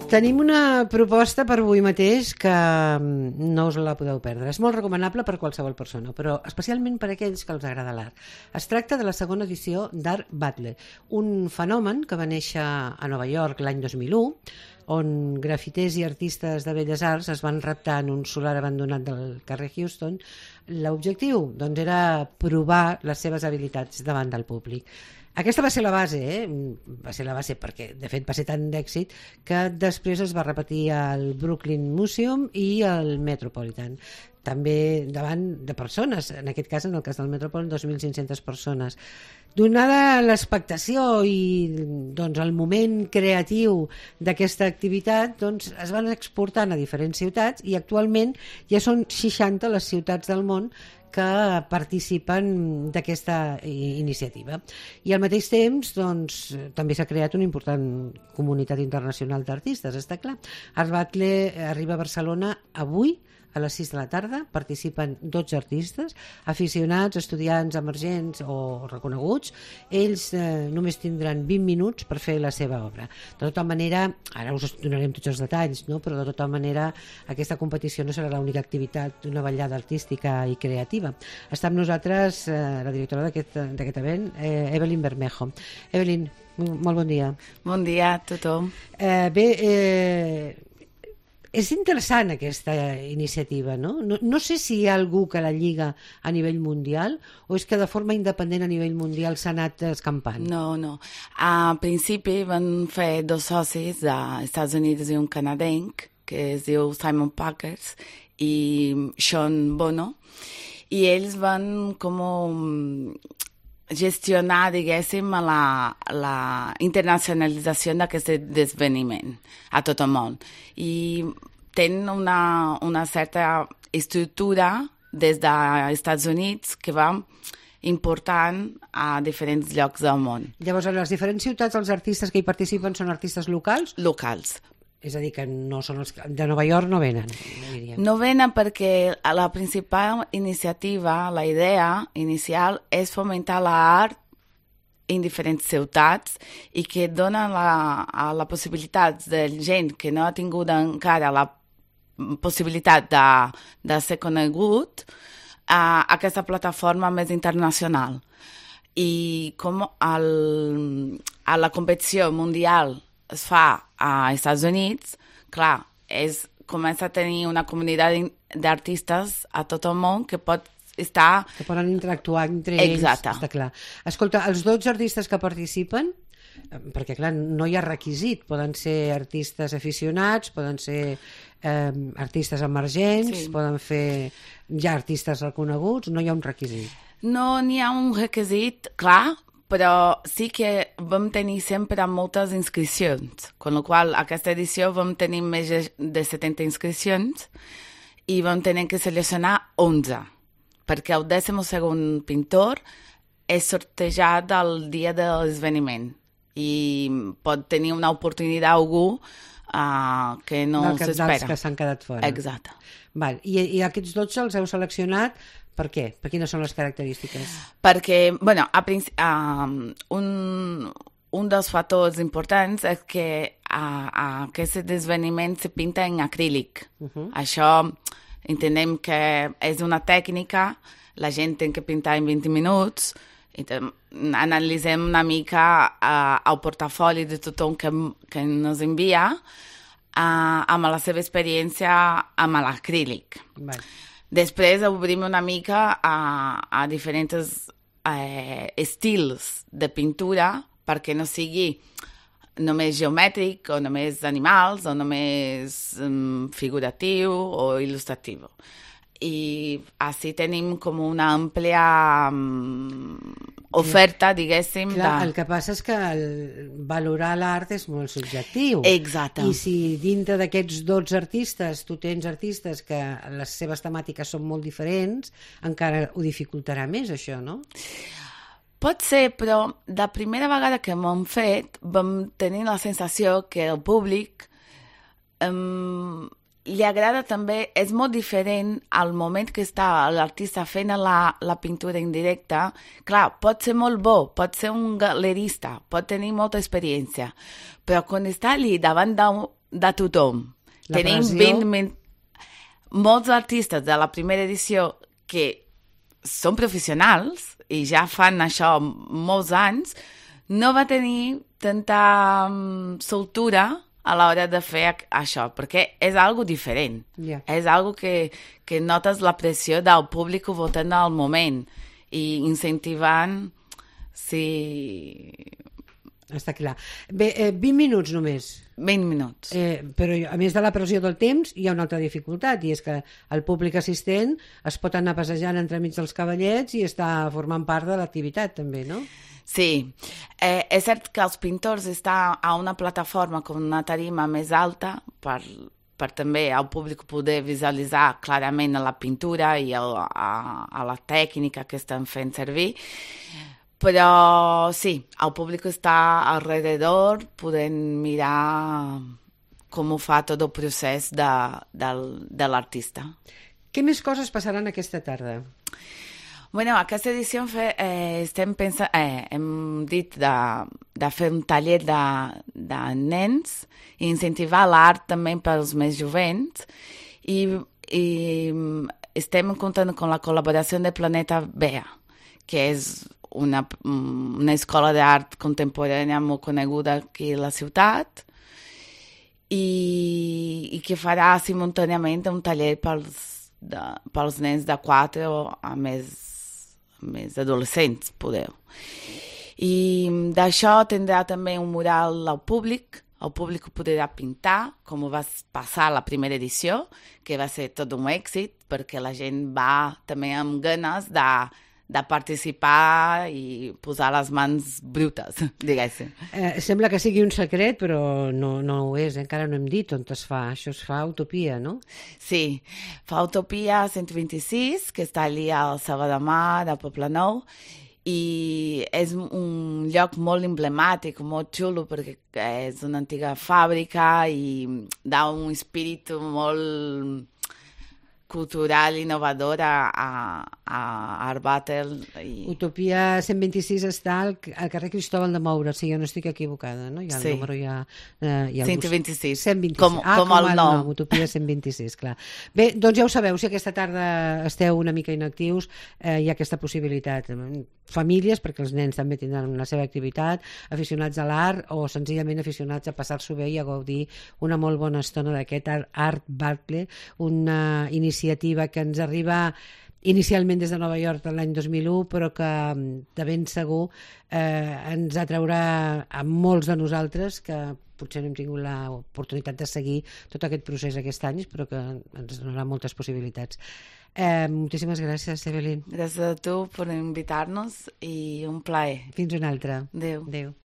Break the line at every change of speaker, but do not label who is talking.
Tenim una proposta per avui mateix que no us la podeu perdre. És molt recomanable per qualsevol persona, però especialment per aquells que els agrada l'art. Es tracta de la segona edició d'Art Battle, un fenomen que va néixer a Nova York l'any 2001, on grafiters i artistes de belles arts es van reptar en un solar abandonat del carrer Houston. L'objectiu, doncs, era provar les seves habilitats davant del públic. Aquesta va ser la base, va ser la base perquè, de fet, va ser tan d'èxit que després es va repetir al Brooklyn Museum i al Metropolitan. També davant de persones, en aquest cas, en el cas del Metropolitan, 2.500 persones. Donada l'expectació i doncs, el moment creatiu d'aquesta activitat, doncs, es van exportant a diferents ciutats i actualment ja són 60 les ciutats del món que participen d'aquesta iniciativa. I al mateix temps doncs, també s'ha creat una important comunitat internacional d'artistes, està clar. Art Battle arriba a Barcelona avui a les 6 de la tarda, participen 12 artistes, aficionats, estudiants emergents o reconeguts. Ells només tindran 20 minuts per fer la seva obra. De tota manera, ara us donarem tots els detalls, no? Però de tota manera aquesta competició no serà l'única activitat d'una vetllada artística i creativa. Està amb nosaltres la directora d'aquest event, Evelyn Bermejo. Evelyn, molt bon dia.
Bon dia a tothom.
És interessant aquesta iniciativa, no? No sé si hi ha algú que la lliga a nivell mundial o és que de forma independent a nivell mundial s'ha anat escampant.
No. A principi van fer 2 socis dels Estats Units i un canadenc que es diu Simon Packers i Sean Bono, i ells van gestionar, diguéssim, la internacionalització d'aquest esdeveniment a tot el món. I tenen una certa estructura des dels Estats Units que va important a diferents llocs del món.
Llavors, a les diferents ciutats els artistes que hi participen són artistes locals?
Locals.
És a dir, que no són els de Nova York, no venen.
No venen perquè la principal iniciativa, la idea inicial és fomentar l'art en diferents ciutats i que dona la possibilitat de gent que no ha tingut encara la possibilitat de ser conegut a aquesta plataforma més internacional. I com a la competició mundial es fa als Estats Units, clar, comença a tenir una comunitat d'artistes a tot el món que pot estar...
Que poden interactuar entre ells.
Exacte.
Està clar. Escolta, els 12 artistes que participen, perquè clar, no hi ha requisit, poden ser artistes aficionats, poden ser artistes emergents, sí. Poden fer ja artistes reconeguts, no hi ha un requisit.
No n'hi ha un requisit, clar, però sí que vam tenir sempre moltes inscripcions, amb la qual aquesta edició vam tenir més de 70 inscripcions i vam tenir que seleccionar 11, perquè el 12º pintor és sortejat el dia de l'esdeveniment i pot tenir una oportunitat a algú que no s'espera.
Dels que s'han quedat fora.
Exacte.
Val. I aquests 12 els heu seleccionat per què? Per quines són les característiques?
Perquè, bueno, un dels factors importants és que aquest esdeveniment se pinta en acrílic. Això entenem que és una tècnica, la gent té que pintar en 20 minuts, i analitzem una mica el portafoli de tothom que ens envia amb la seva experiència amb l'acrílic. Després obrim una mica a diferents estils de pintura perquè no sigui només geomètric o només animals o només figuratiu o il·lustratiu. I així tenim com una àmplia oferta, diguéssim.
Clar, el que passa és que valorar l'art és molt subjectiu.
Exacte.
I si dintre d'aquests 12 artistes tu tens artistes que les seves temàtiques són molt diferents, encara ho dificultarà més, això, no?
Pot ser, però la primera vegada que m'ho hem fet vam tenir la sensació que el públic li agrada també, és molt diferent al moment que està l'artista fent la pintura en directe. Clar, pot ser molt bo, pot ser un galerista, pot tenir molta experiència, però quan està allí davant de tothom, tenim 20 molts artistes de la primera edició que són professionals i ja fan això molts anys, no va tenir tanta soltura a l'hora de fer això, perquè és algo diferent.
Yeah.
És algo que notes la pressió del públic votant al moment i incentivant, sí...
Està clar. Bé, 20 minuts només.
20 minuts.
Però a més de la pressió del temps hi ha una altra dificultat, i és que el públic assistent es pot anar passejant entremig dels cavallets i està formant part de l'activitat també, no?
Sí, és cert que els pintors estan a una plataforma com una tarima més alta per també al públic poder visualitzar clarament la pintura i a la tècnica que estan fent servir. Però sí, el públic està alrededor podent mirar com ho fa tot el procés de l'artista.
Què més coses passaran aquesta tarda?
Bueno, aquesta edició estem pensant, hem dit de fer un taller de nens i incentivar l'art també pels més jovents i estem comptant amb la col·laboració de Planeta Bea, que és una escola d'art contemporània molt coneguda aquí a la ciutat i que farà simultàniament un taller pels nens de 4 a més adolescents, podeu. I d'això tindrà també un mural al públic. El públic podrà pintar, com va passar la primera edició, que va ser tot un èxit, perquè la gent va també amb ganes de participar i posar les mans brutes, diguéssim.
Sembla que sigui un secret, però no ho és, encara no hem dit on es fa. Això es fa a Utopia, no?
Sí, fa Utopia 126, que està allà al Selva de Mar, a Poblenou, i és un lloc molt emblemàtic, molt xulo, perquè és una antiga fàbrica i dà un espírit molt cultural innovador a Art Battle.
Utopia 126 està al carrer Cristóbal de Moura, si jo no estic equivocada, no?
Sí.
El número ja...
126.
126.
Com el nom.
Utopia 126, clar. Bé, doncs ja ho sabeu, si aquesta tarda esteu una mica inactius, hi ha aquesta possibilitat. Famílies, perquè els nens també tindran la seva activitat, aficionats a l'art o senzillament aficionats a passar-s'ho bé i a gaudir una molt bona estona d'aquest Art Battle, una iniciativa que ens arriba inicialment des de Nova York l'any 2001, però que de ben segur ens atraurà a molts de nosaltres que potser no hem tingut l'oportunitat de seguir tot aquest procés aquest any, però que ens donarà moltes possibilitats. Moltíssimes gràcies, Evelyn.
Gràcies a tu per invitar-nos i un plaer.
Fins una altra.
Adéu.
Adéu.